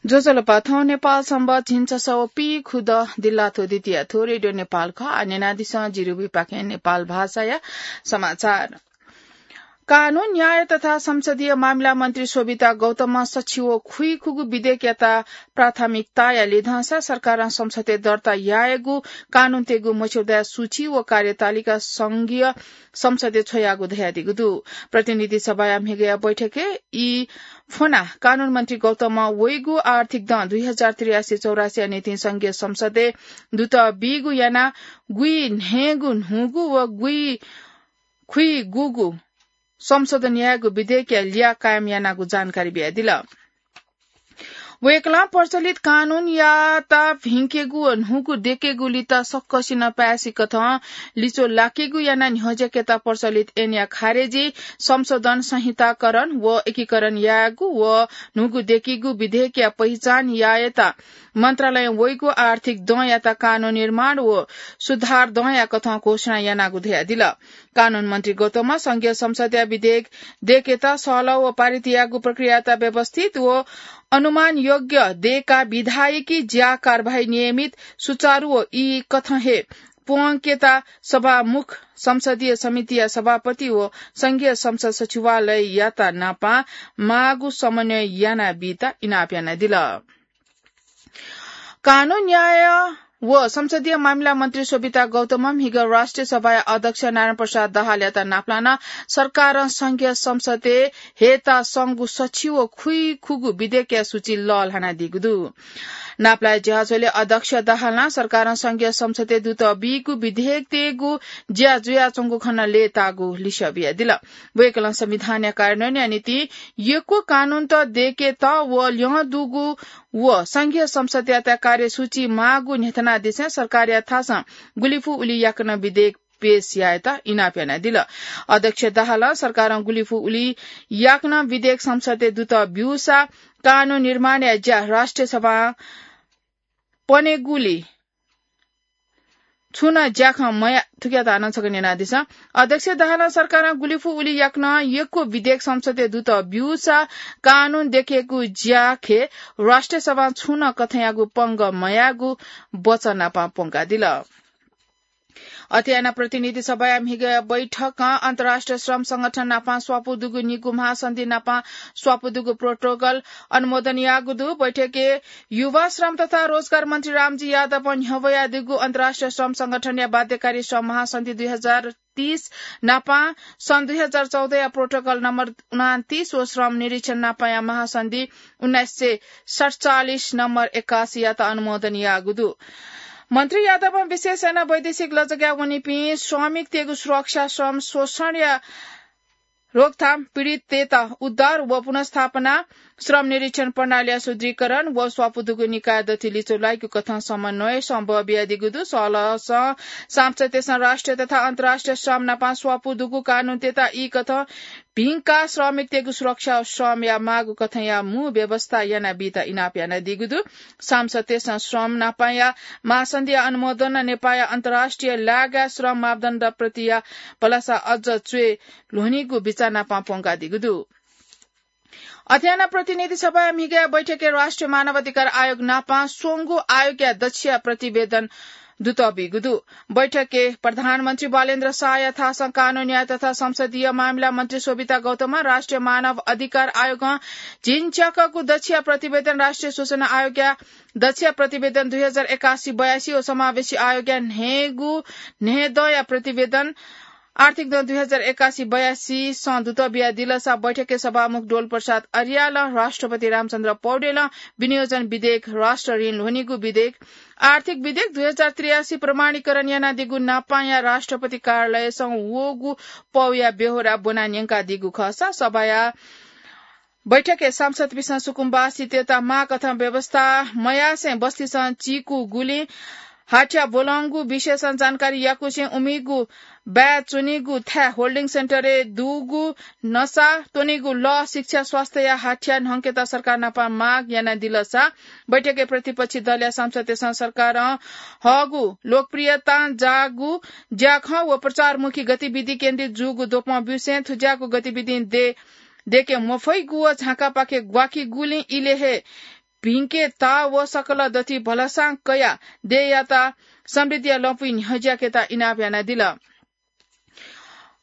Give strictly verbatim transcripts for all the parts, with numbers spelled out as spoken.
ज्वजलपा, थौं नेपाल संवत् झिंछसः व पीखुदँ दिल्लाथ्व द्वितीया थ्व रेडियो नेपाल खः। आः न्यनादिसँ जिरुभिपाखें नेपाल भाषाया समाचार। कानून, न्याय तथा संसदीय मामिला मन्त्री शोभिता गौतमं सछि व खुइखुगू विधेयकयात प्राथमिकताया लिधंसा सरकारं संसदय् दर्ता यायेगु कानूनतय्गु मस्यौदाया सूची व कार्यतालिका संघीय संसदय् छ्वयागु धयादीगु दु। प्रतिनिधि सभाया म्हिगःया बैठकय् ई फ्वनाः कानून मन्त्री गौतमं वइगु आर्थिक दँ दुई हजार त्रियासी चौरासीया निंतिं संघीय संसदय् दुत बीगु यानाः गुइन्हय्गू न्हूगु व गुइखुइगूगु संशोधन यायेगु विधेयकया ल्याः कायम यानागु जानकारी बियादिल। वय्कलं प्रचलित कानूनयात भिंकेगु व न्हूगु दयेकेगुलित सकसिनं पाय्छि कथं लिच्वः लाकेगु यानाः न्ह्यज्याकेत प्रचलित ऐनया खारेजी, संशोधन, संहिताकरण व एकीकरण यायेगु व न्हूगु दयेकेगु विधेयकया पहिचान यायेत मन्त्रालयं वइगु आर्थिक दँयात कानून निर्माण व सुधार दँया कथं घोषणा यानागु धयादिल। कानून मन्त्री गौतमं संघीय संसदया विधेयक दयेकेत सहलह व पारित यायेगु प्रक्रियायात व्यवस्थित व अनुमानयोग्य दयेकाः विधायकी ज्या कारवाही नियमित, सुचारु व ई कथं हे प्वंकेत सभामुख, संसदीय समितिया सभापति व संघीय संसद सचिवालययात नापं माःगु समन्वय यानाबीत इनाप यानादिल। कानून, न्याय व संसदीय मामिला मन्त्री शोभिता गौतमं म्हिगः राष्ट्रिय सभाया अध्यक्ष नारायण प्रसाद दाहालयात नापलानाः सरकारं संघीय संसदय् हयेत संगु सछि व खुइखुगू विधेयकया सूची लःल्हानादीगु दु। नापलाये ज्याझ्वलय् अध्यक्ष दाहालं सरकारं संघीय संसदय् दुत बीगु विधेयकतय्गु ज्या जुयाच्वंगु खँ नं लय्ताःगु लिसः बियादिल। वय्कलं संविधानया कार्यान्वयनया निंतिं यक्व कानूनत दयेकेत व ल्यं दुगु व संघीय संसदयात कार्यसूची माःगु न्ह्यथनादिसें सरकारया थासं गुलि फु उलि याकनं विधेयक पेश यायेत इनाप यानादिल। अध्यक्ष दाहालं सरकारं गुलि फु उलि याकनं विधेयक संसदय् दुत ब्यूसा कानून निर्माणया ज्या राष्ट्रिय सभां पनेगुली छुं नं ज्याखँ मया, थुकियात हानं छकः न्यनादिसँ। अध्यक्ष दाहालं सरकारं गुलि फु उलि याकनं यक्व विधेयक संसदय् दुत ब्यूसा कानून दयेकेगु ज्याखँय् राष्ट्रिय सभां छुं नं कथंयागु पंगः मयायेगु वचन नापं प्वंकादिल। अथे यानाः प्रतिनिधि सभाया म्हिगः बैठकं अन्तर्राष्ट्रिय श्रम संगठन नापं स्वापू दुगु निगू महासन्धि नापं स्वापू दुगु प्रोटोकल अनुमोदन याःगु दु। बैठकय् युवा, श्रम तथा रोजगार मन्त्री रामजी यादवं न्ह्यब्वयादीगु अन्तर्राष्ट्रिय श्रम संगठनया बाध्यकारी श्रम महासन्धि दुई हजार तीस नापं सन् दुई हजार चौधया प्रोटोकल नम्बर उनान्तीस व श्रम निरीक्षण नापंया महासन्धि उन्नाइस सय सतचालिस नम्बर एकासीयात अनुमोदन याःगु दु। मन्त्री यादवं विशेष यानाः वैदेशिक लजगाय् वनीपिं श्रमिकतय्गु सुरक्षा, श्रम शोषणया रोकथाम, पीडिततय्त उद्धार व पुनर्स्थापना, श्रम निरीक्षण प्रणालीया सुदृढीकरण व स्वापू दुगु निकाय दथुइ लिच्वः लाइगु कथं समन्वयसं बः बियादीगु दु। सहलहसं सांसदतय्सं राष्ट्रिय तथा अन्तर्राष्ट्रिय श्रम नापं स्वापू दुगु कानूनतय्त ई कथं भिंकाः श्रमिकतय्गु सुरक्षा व श्रमया माःगु कथंया मू व्यवस्था यानाबीत इनाप यानादीगु दु। सांसदतय्सं श्रम नापंया महासन्धिया अनुमोदनं नेपाःया अन्तर्राष्ट्रिय लागाय् श्रम मापदण्ड प्रतिया भलसा अझ च्वय् ल्ह्वनीगु बिचाः नापं प्वंकादीगु दु। अथे यानाः प्रतिनिधि सभाया म्हिगःया बैठकय् राष्ट्रिय मानव अधिकार आयोग नापं स्वंगू आयोगया दच्छिया प्रतिवेदन दुत बीगु दु। बैठकय् प्रधानमन्त्री बालेन्द्र शाहया थासं कानून, न्याय तथा संसदीय मामिला मन्त्री शोभिता गौतमं राष्ट्रिय मानव अधिकार आयोगं झिंच्याकःगु दच्छिया प्रतिवेदन राष्ट्रिय सूचना आयोगया दच्छिया प्रतिवेदन दुई हजार एकासी बयासी व समावेशी आयोगया न्हय्गू न्हय्दँया प्रतिवेदन आर्थिक दँ दुई हजार एकासी बयासीसं दुत बियादिलसा बैठकय् सभामुख डोल प्रसाद अर्यालं, राष्ट्रपति रामचन्द्र पौडेलं विनियोजन विधेयक, राष्ट्र ऋण ल्ह्वनीगु विधेयक, आर्थिक विधेयक दुई हजार त्रियासी प्रमाणीकरण यानादीगु नापंया राष्ट्रपति कार्यालयसं वःगु पौया ब्यहोरा ब्वना न्यंकादीगु खःसा सभाया बैठकय् सांसदपिन्सं सुकुम्बासीतय्त माःकथं व्यवस्था मयासें बस्तीसं चीकूगुलिं हाथ्या ब्वलंगु विषयसं जानकारी याकुसें उमिगु बाय् च्वनीगु थाय् होल्डिङ सेन्टरय् दुगु नसा, त्वनीगु लः, शिक्षा, स्वास्थ्यया हाथ्या न्हंकेत सरकार नापं माग यानादिलसा बैठकय् प्रतिपक्षी दलया सांसदतय्सं सरकारं हःगु लोकप्रियतां जाःगु ज्याखँ व प्रचारमुखी गतिविधि केन्द्रित जूगु द्वपं ब्यूसें थुज्याःगु गतिविधिं दे दय्के मफइगु व झाँकापाखे ग्वाकीगुलिं इलय् हे भिंकेत व सकल दथि भलसां कयाः देय्‌यात समृद्धिया लँपुइ न्ह्यज्याकेत इनाप यानादिल।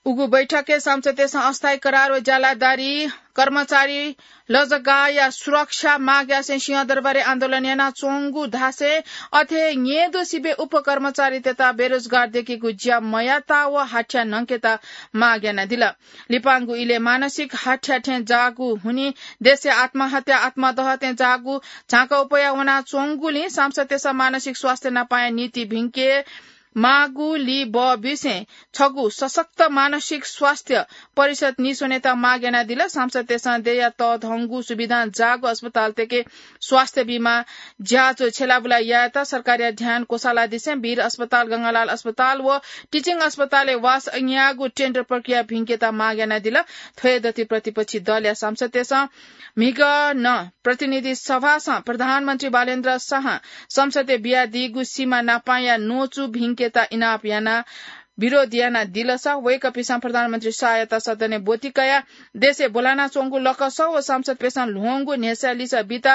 उगु बैठकय् सांसदतय्‌सं अस्थायी करार व ज्यालादारी कर्मचारी लजगाःया सुरक्षा माग यासें सिंहदरबारय् आन्दोलन यानाच्वंगु धासें अथे न्येदु सिबें उपकर्मचारीतय्‌त बेरोजगार दय्‌केगु ज्या मयात व हाथ्या न्हंकेत माग यानादिल। लिपांगु इलय् मानसिक हाथ्या थें जाःगु हुनिं देशय् आत्महत्या, आत्मदह थें जाःगु झाँक्क उपया वनाच्वंगुलिं सांसदतय्‌सं मानसिक स्वास्थ्य नापांया नीति भिंके माःगु लिबः बिसें छगू सशक्त मानसिक स्वास्थ्य परिषद निस्वनेत माग यानादिल। सांसदतय्‌सं देय्‌या तःधंगु सुविधां जाःगु अस्पतालतय्‌के स्वास्थ्य बीमा ज्याझ्वः छ्यलाबुला यायेत सरकारया ध्यान क्वसालादिसें वीर अस्पताल, गंगालाल अस्पताल व टिचिङ अस्पतालय् वास अज्ञाःगु टेन्डर प्रक्रिया भिंकेत माग यानादिल। थ्वय् दथि प्रतिपक्षी दलया सांसदतय्‌सं म्हिगः नं प्रतिनिधि सभासं प्रधानमन्त्री बालेन्द्र शाहं संसदय् बियादीगु सीमा नापांया न्वचु भिंकेत इनाप यानाः विरोध यानादिलसा वय्‌कःपिन्सं प्रधानमन्त्री शाहयात सदनय् ब्वति कयाः देशय् ब्वलानाच्वंगु लकस व सांसदतय्‌सं ल्ह्वंगु न्ह्यसः लिसः बीत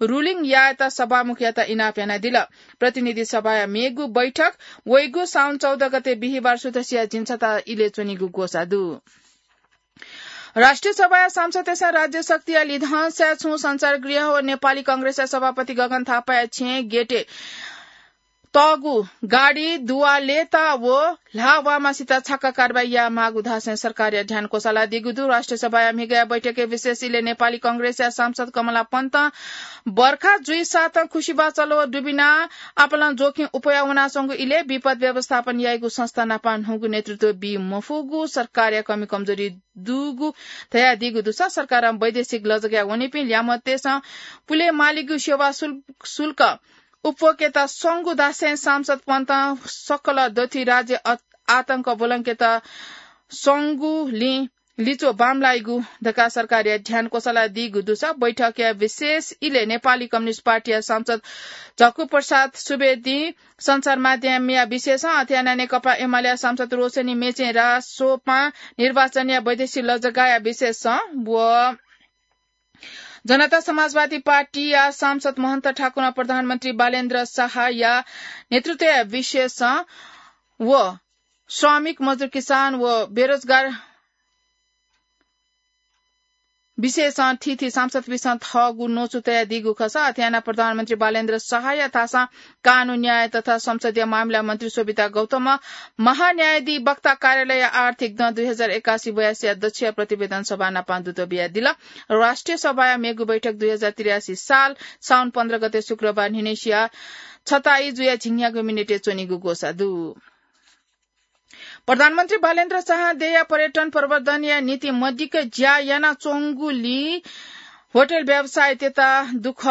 रुलिङ यायेत सभामुखयात इनाप यानादिल। प्रतिनिधि सभाया मेगु बैठक वइगु साउन चौध गते बिहिबार सुथसिया झिंछता इलय् च्वनीगु ग्वसाः दु। राष्ट्रिय सभाया सांसदतय्‌सं राज्य शक्तिया लिधंसाय् छुं सञ्चारगृह व नेपाली कांग्रेसया सभापति गगन थापाया छेँय् गेटय् तःगु गाडी दुवालेत व ल्हाःवाःमासित छाक्क कारवाही यायेमाःगु धासें सरकारया ध्यान क्वसालादीगु दु। राष्ट्रिय सभाया म्हिगःया बैठकय् विशेष इलय् नेपाली कांग्रेसया सांसद कमला पन्तं बर्खा जुइसातं खुसिबाचल व दुबिनाः आपालं जोखिम उपया वनाच्वंगु इलय् विपद व्यवस्थापन याइगु संस्था नापं न्हूगु नेतृत्व बी मफुगु, सरकारया कमी कमजोरी दुगु धयादीगु दुसा सरकारं वैदेशिक लजगाय् वनीपिं ल्यामतय्‌सं पुले मालीगु सेवा शुल्क, शुल्क उप्वकेत संगु धासें सांसद पन्तं सकल दथि राज्य अ-, आतंक ब्वलंकेत संगुलिं लिच्वः बांमलाइगु धकाः सरकारया ध्यान क्वसालादीगु दुसा बैठकया विशेष इलय् नेपाली कम्युनिस्ट पार्टीया सांसद झक्कु प्रसाद सुवेदीं सञ्चार माध्यमया विशेषं अथे यानाः नेकपा एमालेया सांसद रोशनी मेचें रासोपां निर्वाचनया वैदेशिक लजगाःया विशेषं व जनता समाजवादी पार्टीया सांसद महन्त ठाकुरं प्रधानमन्त्री बालेन्द्र शाहया नेतृत्वया विशेषं व श्रमिक मजदुर किसान व बेरोजगार विशेषं थीथी सांसदपिन्सं थःगु न्वचु तयादीगु खःसा अथे यानाः प्रधानमन्त्री बालेन्द्र शाहया थासं कानून न्याय तथा संसदीय मामिला मन्त्री शोभिता गौतमं महान्यायाधिवक्ता कार्यालयया आर्थिक दँ दुई हजार एकासी बयासीया दच्छिया प्रतिवेदन सभा नापं दुत बियादिल। राष्ट्रिय सभाया मेगु बैठक दुई हजार त्रियासी साल साउन पन्ध्र गते शुक्रबार न्हिनय्‌सिया छताइ जुया झिंन्यागू मिनेटय् च्वनीगु ग्वसाः दु। प्रधानमन्त्री बालेन्द्र शाहं देय्‌या पर्यटन प्रवर्धनया निंतिं मदिक्क ज्या यानाच्वंगुलिं होटल व्यवसायीतय्‌त दुःख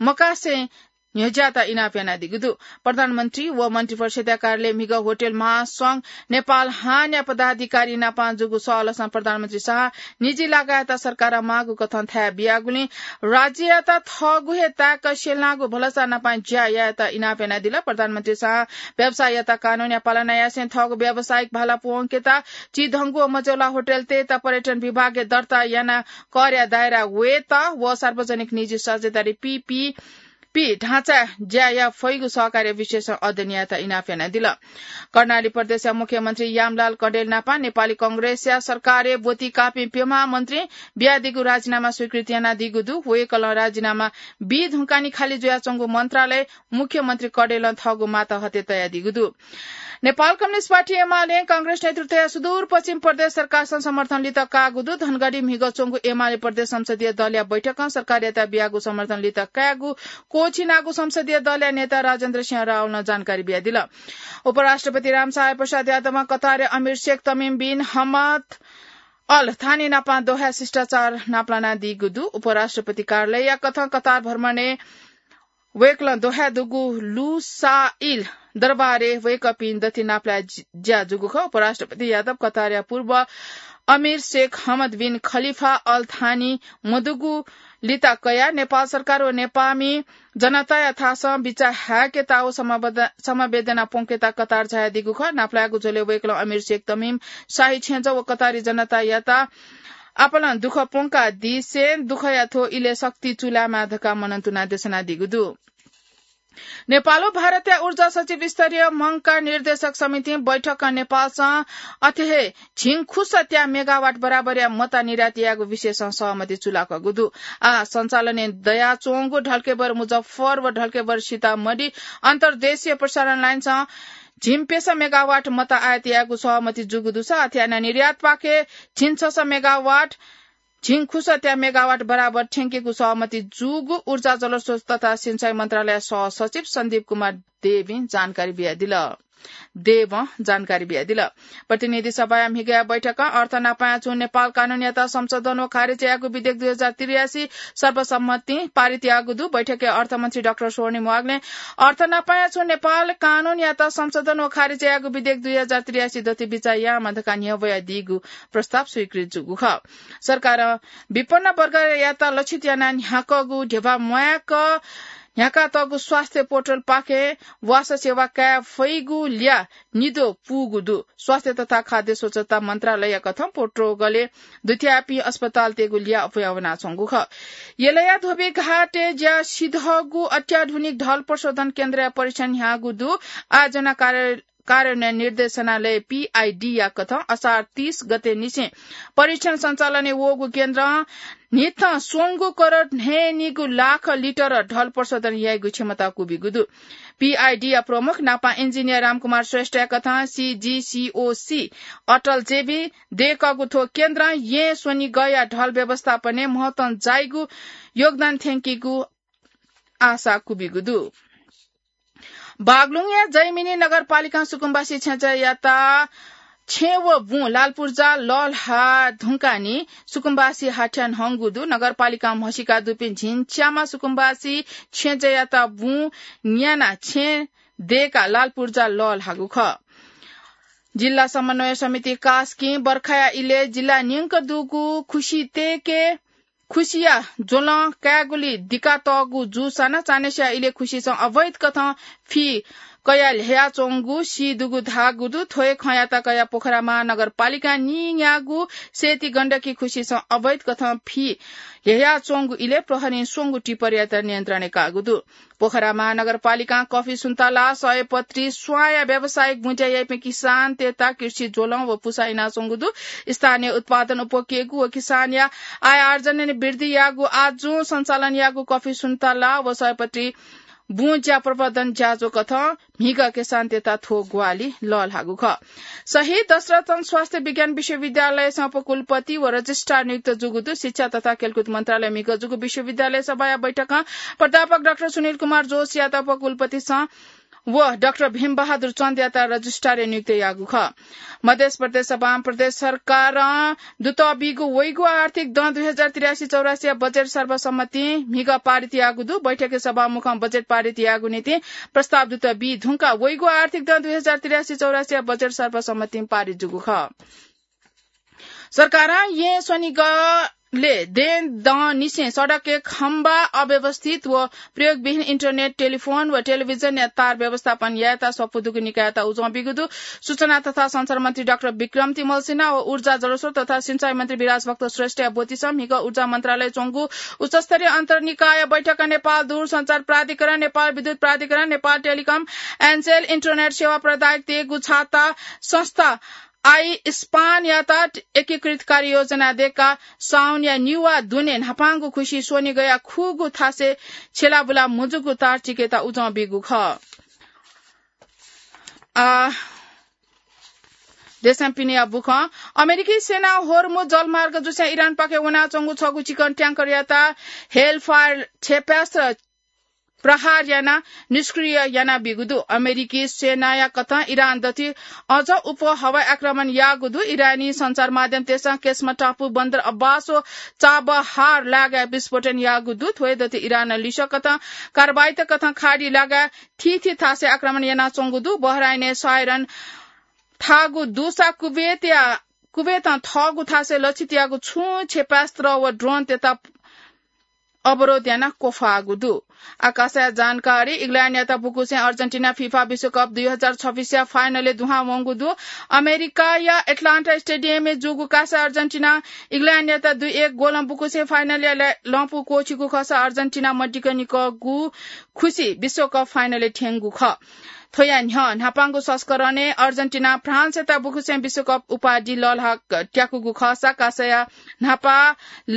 मकासें न्ह्यज्यायेत इनाप यानादीगु दु। प्रधानमन्त्री व मन्त्रिपरिषद्‌या कार्यालय म्हिगः होटल महासंघ नेपाल हानया पदाधिकारी नापं जूगु सहलसं प्रधानमन्त्री शाहं निजी लागाय्‌त सरकारं माःगु कथं थाय् बियागुलिं राज्ययात थःगु हे ताय्‌क स्यनागु भलसा नापं ज्या यायेत इनाप यानादिल। प्रधानमन्त्री शाहं व्यवसायीयात कानूनया पालना यासें थःगु व्यावसायिक भाला प्वंकेत चिधंगु व मझौला होटलतय्‌त पर्यटन विभागय् दर्ता यानाः करया दायरा वयेत व सार्वजनिक निजी साझेदारी पीपीपी ढाँचाय् ज्या याये फइगु सहकार्य विषयसं अध्ययन यायेत इनाप यानादिल। कर्णाली प्रदेशया मुख्यमन्त्री यामलाल कँडेल नापं नेपाली कांग्रेसया सरकारय् ब्वति काःपिं प्यम्ह मन्त्रीं बियादीगु राजीनामा स्वीकृत यानादीगु दु। वय्‌कलं राजीनामा बी धुंकाः नि खाली जुयाच्वंगु मन्त्रालय मुख्यमन्त्री कँडेलं थःगु मातहतय् तयादीगु दु। नेपाल कम्युनिस्ट पार्टी एमालें कांग्रेस नेतृत्वया सुदूरपश्चिम प्रदेश सरकारसं समर्थन लित काःगु दु। धनगढी म्हिगः च्वंगु एमाले प्रदेश संसदीय दलया बैठकं सरकारयात बियागु समर्थन लित कायेगु क्वःछिनागु संसदीय दलया नेता राजेन्द्र सिंह रावलं जानकारी बियादिल। उपराष्ट्रपति रामसहाय प्रसाद यादवं कतारया अमीर शेख तमिम बिन हमद अल थानी नापं दोहाय् शिष्टाचार नापलानादीगु दु। उपराष्ट्रपति कार्यालयया कथं कतार भ्रमणय् वय्‌कलं दोहाय् दुगु लुसाइल दरबारय् वय्‌कःपिं दथि नापलाये ज्या जूगु खः। उपराष्ट्रपति यादव कतारया पूर्व अमीर शेख हमद बिन खलिफा अल थानी मदुगु लित कयाः नेपाल सरकार व नेपाःमि जनताया थासं बिचाः हाय्‌केत व समवेद-, समवेदना प्वंकेत कतार झायादीगु खः। नापलायेगु झ्वलय् वय्‌कलं अमीर शेख तमिम, शाही छेँजः व कतारी जनतायात आपालं दुःख प्वंकादिसें दुःखया थ्व इलय् शक्ति चूलायेमाः धकाः मनंतुनाः देछानादीगु दु। नेपाल व भारतया ऊर्जा सचिव स्तरीय मंका निर्देशक समितिं बैठकं नेपालसं अथे हे झिंखुस त्या मेगावाट बराबरया मता निर्यात यायेगु विषयसं सहमति चूलाकूगु दु। आः सञ्चालनय् दयाच्वंगु ढल्केबर मुजफ्फर व ढल्केबर सीतामढी अन्तर्देशीय प्रसारण लाइनसं झिंप्यसः मेगावाट मता आयात यायेगु सहमति जूगु दुसा अथे यानाः निर्यातपाखे झिंछसः मेगावाट झिंखुस त्या मेगावाट बराबर थ्यंकेगु सहमति जूगु ऊर्जा जलस्रोत तथा सिंचाई मन्त्रालय सहसचिव सन्दीप कुमार देवीं जानकारी बियादिल। देवं जानकारी बियादिल। प्रतिनिधि सभाया म्हिगया बैठकं अर्थ नापाया छुं नेपाल कानूनयात संशोधन व खारेज यायेगु विधेयक दुई हजार त्रियासी सर्वसम्मतिं पारित याःगु दु। बैठकय् अर्थमन्त्री डाक्टर स्वर्णिम वाग्लें अर्थ नापाया छुं नेपाल कानूनयात संशोधन व खारेज यायेगु विधेयक दुई हजार त्रियासी दति बिचाः यायेमाः धकाः न्ह्यब्वयादीगु प्रस्ताव स्वीकृत जूगु खः। सरकारं विपन्न वर्गयात लक्षित यानाः न्ह्याकातःगु ध्यबा म्वायेक न्ह्याकातःगु स्वास्थ्य पोर्टलपाखें वासः सेवा काये फइगु ल्याः निद्वः पूगु दु। स्वास्थ्य तथा खाद्य स्वच्छता मन्त्रालयया कथं पोर्टलय् दुथ्याःपिं अस्पतालतय्गु ल्याः अप्वया वनाच्वंगु खः। यलया धोबीघाटय् ज्या सिधःगु अत्याधुनिक ढल प्रशोधन केन्द्रया परीक्षण न्ह्याःगु दु। आयोजना कार्य कार्यान्वयन निर्देशनालय, पीआईडी या कथं असार तीस गते निसें परीक्षण सञ्चालनय् वःगु केन्द्रं न्हिथं स्वंगू करोड न्हय्निगू लाख लिटर ढल प्रशोधन याइगु क्षमता क्वबिगु दु। पीआईडी या प्रमुख नापं इन्जिनियर रामकुमार श्रेष्ठया कथं सीजीसीओसी अटल जेबी दय्कःगु थ्व केन्द्रं येँ स्वनिगःया ढल व्यवस्थापनय् महत्वं जाइगु योगदान थ्यंकीगु आशा क्वबिगु दु। बागलुङया जैमिनी नगरपालिकां सुकुम्बासी छेँजःयात छेँ व बुँ लालपुर्जा लःल्हाः धुंकाः सुकुम्बासी हाथ्याः न्हंगु दु। नगरपालिकां म्हसीका दुपिं झिंच्याम्ह सुकुम्बासी छेँजःयात बुँ न्यानाः छेँ दय्काः लालपुर्जा लःल्हाःगु खः। जिल्ला समन्वय समिति कास्कीं बर्खाया इलय् जिल्ला न्यंक दुगु खुसि तय्के खुसिया ज्वलं कायेगुली दिकातःगु जूसां नं चान्हय्सिया इलय् खुसिसं अवैध कथं फि कयाः ल्ह्ययाच्वंगु सी दुगु धाःगु दु। थ्व हे खँयात कयाः पोखरा महानगरपालिकां नीन्यागू सेती गण्डकी खुसिसं अवैध कथं फि ल्ह्ययाच्वंगु इलय् प्रहरीं स्वंगू टिप्परयात नियन्त्रणय् काःगु दु। पोखरा महानगरपालिकां कफी सुन्तला, सयपत्री, स्वांया व्यावसायिक बुँज्या याइपिं किसानतय्त कृषि ज्वलं व पुसा इनाच्वंगु दु। स्थानीय उत्पादन उप्वकेगु व किसानया आय आर्जनय् वृद्धि याःगु आजुं सञ्चालन याःगु कफी सुन्तला व सयपत्री बुँज्या प्रवर्धन ज्याझ्वः कथं म्हिगः किसानतय्त थ्व ग्वाहालि लःल्हाःगु खः। शहीद दशरथन स्वास्थ्य विज्ञान विश्वविद्यालयसं उपकुलपति व रजिस्ट्रार नियुक्त जूगु दु। शिक्षा तथा खेलकुद मन्त्रालय म्हिगः जूगु विश्वविद्यालय सभाया बैठकं प्राध्यापक डाक्टर सुनिल कुमार जोशीयात उपकुलपतिसं व डाक्टर भीमबहादुर चन्दयात रजिस्ट्रारय् नियुक्त याःगु खः। मध्य प्रदेश सभां प्रदेश सरकारं दुतः बीगु वइगु आर्थिक दँ दुई हजार त्रियासी चौरासीया बजेट सर्वसम्मतिं म्हिगः पारित याःगु दु। बैठकय् सभामुखं बजेट पारित याःगु निंतिं प्रस्ताव दुतः बी धुंकाः वइगु आर्थिक दँ दुई हजार त्रियासी चौरासीया बजेट सर्वसम्मतिं पारित जूगु खः। सरकारं येँ स्वनिगलय् दँय् दँ निसें सडकय् खम्बा अव्यवस्थित व प्रयोगविहीन इन्टरनेट, टेलिफोन व टेलिभिजनया तार व्यवस्थापन यायेत सफू दुगु निकाययात उजं बीगु दु। सूचना तथा सञ्चार मन्त्री डाक्टर विक्रम तिमल सिन्हा व ऊर्जा, जलस्रोत तथा सिंचाई मन्त्री विराज भक्त श्रेष्ठया ब्वतिसं म्हिगः ऊर्जा मन्त्रालयय् च्वंगु उच्चस्तरीय अन्तर्निकाय बैठकं नेपाल दूरसञ्चार प्राधिकरण, नेपाल विद्युत प्राधिकरण, Nepal telecom end cell internet सेवा प्रदायकतय्गु छाता संस्था आइस्पानयात एकीकृत कार्ययोजना दय्काः साउनया निगू दुने न्हापांगु खुसि स्वनिगःया खुगू थासय् छ्यलाबुला मुजूगु तार चिकेत उजं बीगु खः। आ, देशं पिनेया बुखँ। अमेरिकी सेनां होर्मुज जलमार्ग जुसें इरानपाखे वनाच्वंगु छगू चिकन ट्याङ्करयात हेलफायर क्षेपणास्त्र प्रहार यानाः निष्क्रिय यानाबीगु दु। अमेरिकी सेनाया कथं इरान दथुइ अझ अप्वः हवाई आक्रमण याःगु दु। इरानी सञ्चार माध्यमतय्सं केस्म टापु, बन्दर अब्बास व चाबहार लागाय् विस्फोटन याःगु दु। थ्व हे दथुइ इरानं लिसः कथं कारवाहीत कथं खाडी लागाय् थीथी थासय् आक्रमण यानाच्वंगु दु। बहराइनय् साइरन थाःगु दुसा कुवेतया, कुवेतं थःगु थासय् लक्षित याःगु छुं क्षेपणास्त्र व ड्रोनतय्त अवरोध यानाः क्वफाःगु दु। आकाशया जानकारी। इग्ल्याण्डयात बुकुसें अर्जेन्टिना फिफा विश्वकप दुई हजार छब्बिसया फाइनलय् दुहां वंगु दु। अमेरिकाया एटलान्टा स्टेडियमय् जूगु कासा अर्जेन्टिना इग्ल्याण्डयात दुई एक गोलं बुकुसें फाइनलय् लँपु क्वःछिगु खःसा अर्जेन्टिना मदिक्क निकःगु खुसी विश्वकप फाइनलय् थ्यंगु खः। थ्वया न्ह्यः न्हापांगु संस्करणय् अर्जेन्टिना फ्रान्सयात बुकुसें विश्वकप उपाधि लःल्हाः त्याकूगु खःसा कासाया न्हापा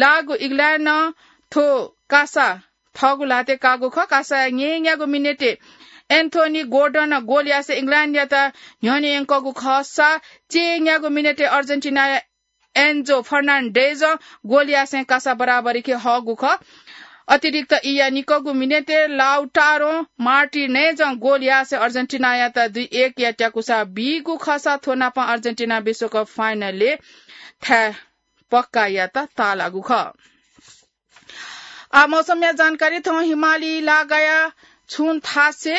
लाःगु इग्ल्याण्डं थ्व कासा थःगु ल्हातय् काःगु खः। कासाया न्यय्‌न्यागु मिनेटय् एन्थोनी गोर्डन गोल यासें इग्ल्याण्डयात न्ह्यःने यंकःगु खःसा चय्‌न्यागु मिनेटय् अर्जेन्टिनाया एन्जो फर्नान्डेजं गोल यासें कासा बराबरीखे हःगु खः। अतिरिक्त ईया निकःगु मिनेटय् लाउटारो मार्टिनेजं गोल यासें अर्जेन्टिनायात दुई एकया त्याकुसा बीगु खःसा थ्व नापं अर्जेन्टिना विश्वकप फाइनलय् थाय् पक्का यात ताःलाःगु खः। आ, मौसमया जानकारी। थौं हिमाली लागाया छुं थासे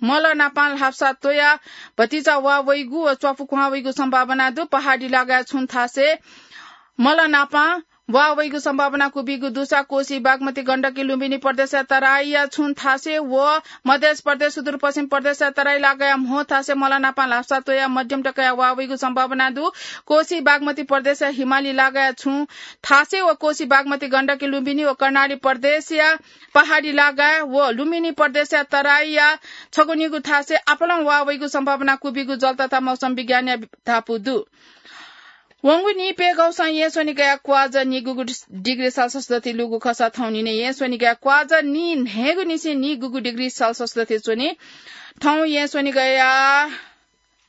मल नापां ल्हापसा त्वया भतिचा वा वइगु व च्वापु क्वहां वइगु सम्भावना दु। पहाडी लागाया छुं थासे मल नापां वा वइगु सम्भावना कुबिगु दुसा कोसी, बागमती, गण्डकी, लुम्बिनी प्रदेशया तराईया छुं थासे व मधेस प्रदेश, सुदूरपश्चिम प्रदेशया तराई लागाया म्हो थासे मल नापां ल्हापसा त्वया मध्यम तकया वा वइगु सम्भावना दु। कोसी, बागमती प्रदेशया हिमाली लागाया छुं थासे व कोसी, बागमती, गण्डकी, लुम्बिनी व कर्णाली प्रदेशया पहाडी लागाय् व लुम्बिनी प्रदेशया तराईया छगू निगू थासे आपालं वा वइगु सम्भावना कुबिगु जल तथा मौसम विज्ञानया धापू दु। वंगु निपय्‌गौसं येँ स्वनिगया क्वाज निगुगु डिग्री सेल्सियस दथि लूगु खःसा थौं निने येँ स्वनिगया क्वाज नी न्हय्‌गु निसें निगुगु डिग्री सेल्सियस दथि च्वनी। थौं येँ स्वनिगया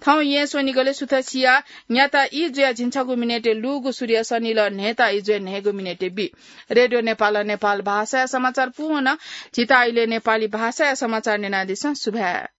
थौं येँ स्वनिगलय् सुथसिया न्याता ई जुया झिंछगू मिनेटय् लूगु सूर्य सनिल न्हय्‌ता ई जुया न्हय्‌गू मिनेटय् बी। रेडियो नेपाल, नेपाल भाषाया समाचार पूवं झीत आइले नेपाली भाषाया समाचार न्यनादिसँ। सुभाय्।